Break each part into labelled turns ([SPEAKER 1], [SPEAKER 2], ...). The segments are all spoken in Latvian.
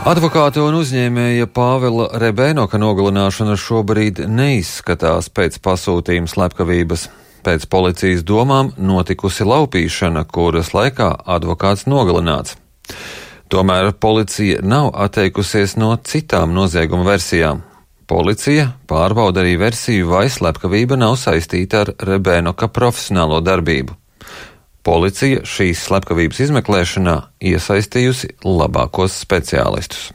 [SPEAKER 1] Advokāta un uzņēmēja Pāvila Rebēnoka nogalināšana šobrīd neizskatās pēc pasūtījuma slepkavības. Pēc policijas domām notikusi laupīšana, kuras laikā advokāts nogalināts. Tomēr policija nav atteikusies no citām nozieguma versijām. Policija pārbauda arī versiju, vai slepkavība nav saistīta ar Rebēnoka profesionālo darbību. Policija šīs slepkavības izmeklēšanā iesaistījusi labākos speciālistus.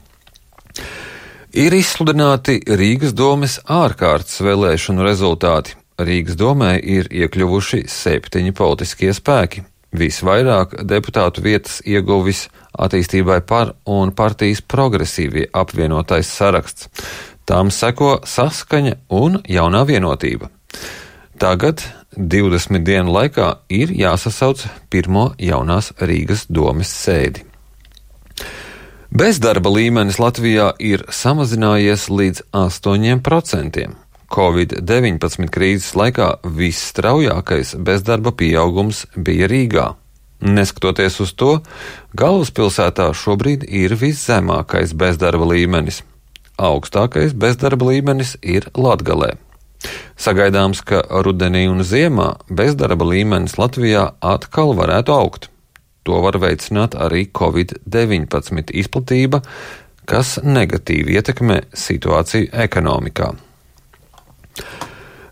[SPEAKER 1] Ir izsludināti Rīgas domes ārkārtas vēlēšanu rezultāti. Rīgas domē ir iekļuvuši 7 politiskie spēki. Visvairāk deputātu vietas ieguvis Attīstībai par un partijas Progresīvie apvienotais saraksts. Tām seko Saskaņa un Jaunā vienotība. Tagad 20 dienu laikā ir jāsasauc pirmo jaunās Rīgas domes sēdi. Bezdarba līmenis Latvijā ir samazinājies līdz 8%. Covid-19 krīzes laikā visstraujākais bezdarba pieaugums bija Rīgā. Neskatoties uz to, galvaspilsētā šobrīd ir viszemākais bezdarba līmenis. Augstākais bezdarba līmenis ir Latgalē. Sagaidāms, ka rudenī un ziemā bezdarba līmenis Latvijā atkal varētu augt. To var veicināt arī Covid-19 izplatība, kas negatīvi ietekmē situāciju ekonomikā.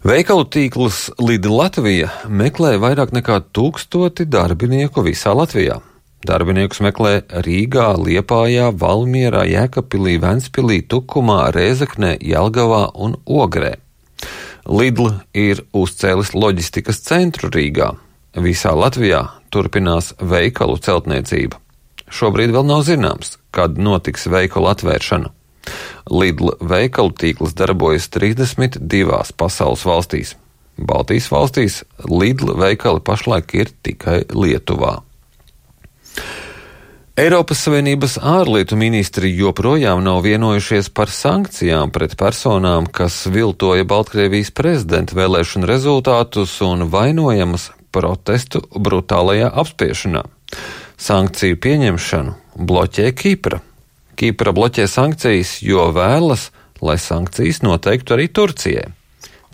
[SPEAKER 1] Veikalu tīkls Lidl Latvija meklē vairāk nekā 1000 darbinieku visā Latvijā. Darbiniekus meklē Rīgā, Liepājā, Valmierā, Jēkabpilī, Ventspilī, Tukumā, Rēzeknē, Jelgavā un Ogrē. Lidl ir uzcēlis loģistikas centru Rīgā. Visā Latvijā turpinās veikalu celtniecība. Šobrīd vēl nav zināms, kad notiks veikalu atvēršana. Lidl veikalu tīkls darbojas 32 pasaules valstīs. Baltijas valstīs Lidl veikali pašlaik ir tikai Lietuvā. Eiropas Savienības ārlietu ministri joprojām nav vienojušies par sankcijām pret personām, kas viltoja Baltkrievijas prezidenta vēlēšanu rezultātus un vainojamas protestu brutālajā apspiešanā. Sankciju pieņemšanu bloķē Kipra. Kipra bloķē sankcijas, jo vēlas, lai sankcijas noteiktu arī Turcijai.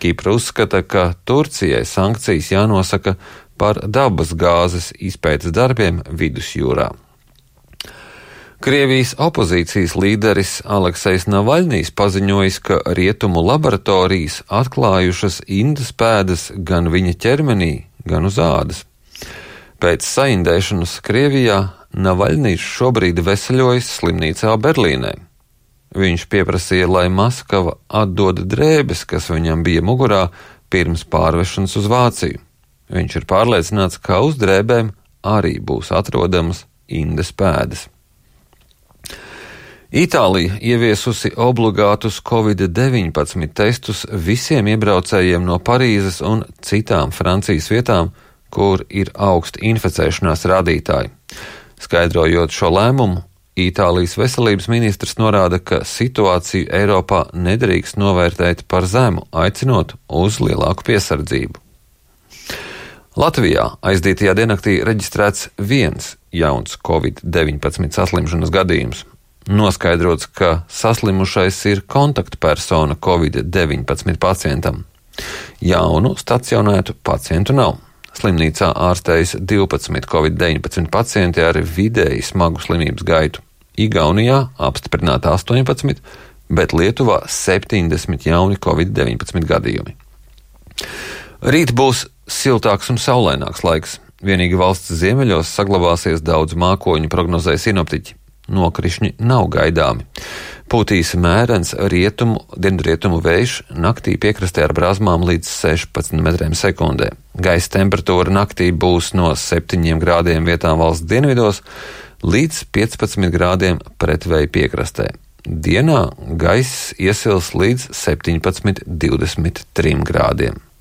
[SPEAKER 1] Kipra uzskata, ka Turcijai sankcijas jānosaka par dabas gāzes izpētes darbiem Vidusjūrā. Krievijas opozīcijas līderis Aleksejs Navaļnijs paziņojis, ka rietumu laboratorijas atklājušas indas pēdas gan viņa ķermenī, gan uz ādas. Pēc saindēšanas Krievijā Navaļnijs šobrīd veseļojas slimnīcā Berlīnē. Viņš pieprasīja, lai Maskava atdod drēbes, kas viņam bija mugurā pirms pārvešanas uz Vāciju. Viņš ir pārliecināts, ka uz drēbēm arī būs atrodamas indas pēdas. Itālija ieviesusi obligātus Covid-19 testus visiem iebraucējiem no Parīzes un citām Francijas vietām, kur ir augsti inficēšanās rādītāji. Skaidrojot šo lēmumu, Itālijas veselības ministrs norāda, ka situāciju Eiropā nedrīkst novērtēt par zemu, aicinot uz lielāku piesardzību. Latvijā aizdītajā diennaktī reģistrēts 1 jauns Covid-19 saslimšanas gadījums. Noskaidrots, ka saslimušais ir kontaktpersona Covid-19 pacientam. Jaunu stacionētu pacientu nav. Slimnīcā ārstējas 12 Covid-19 pacienti ar vidēji smagu slimības gaitu. Igaunijā apstiprināta 18, bet Lietuvā 70 jauni Covid-19 gadījumi. Rīt būs siltāks un saulaināks laiks. Vienīgi valsts ziemeļos saglabāsies daudz mākoņu, prognozē sinoptiķi. Nokrišņi nav gaidāmi. Pūtīs mērens dienvidrietumu vējš, naktī piekrastē ar brāzmām līdz 16 metriem sekundē. Gaisa temperatūra naktī būs no 7 grādiem vietām valsts dienvidos līdz 15 grādiem pretvēja piekrastē. Dienā gaiss iesils līdz 17–23 grādiem.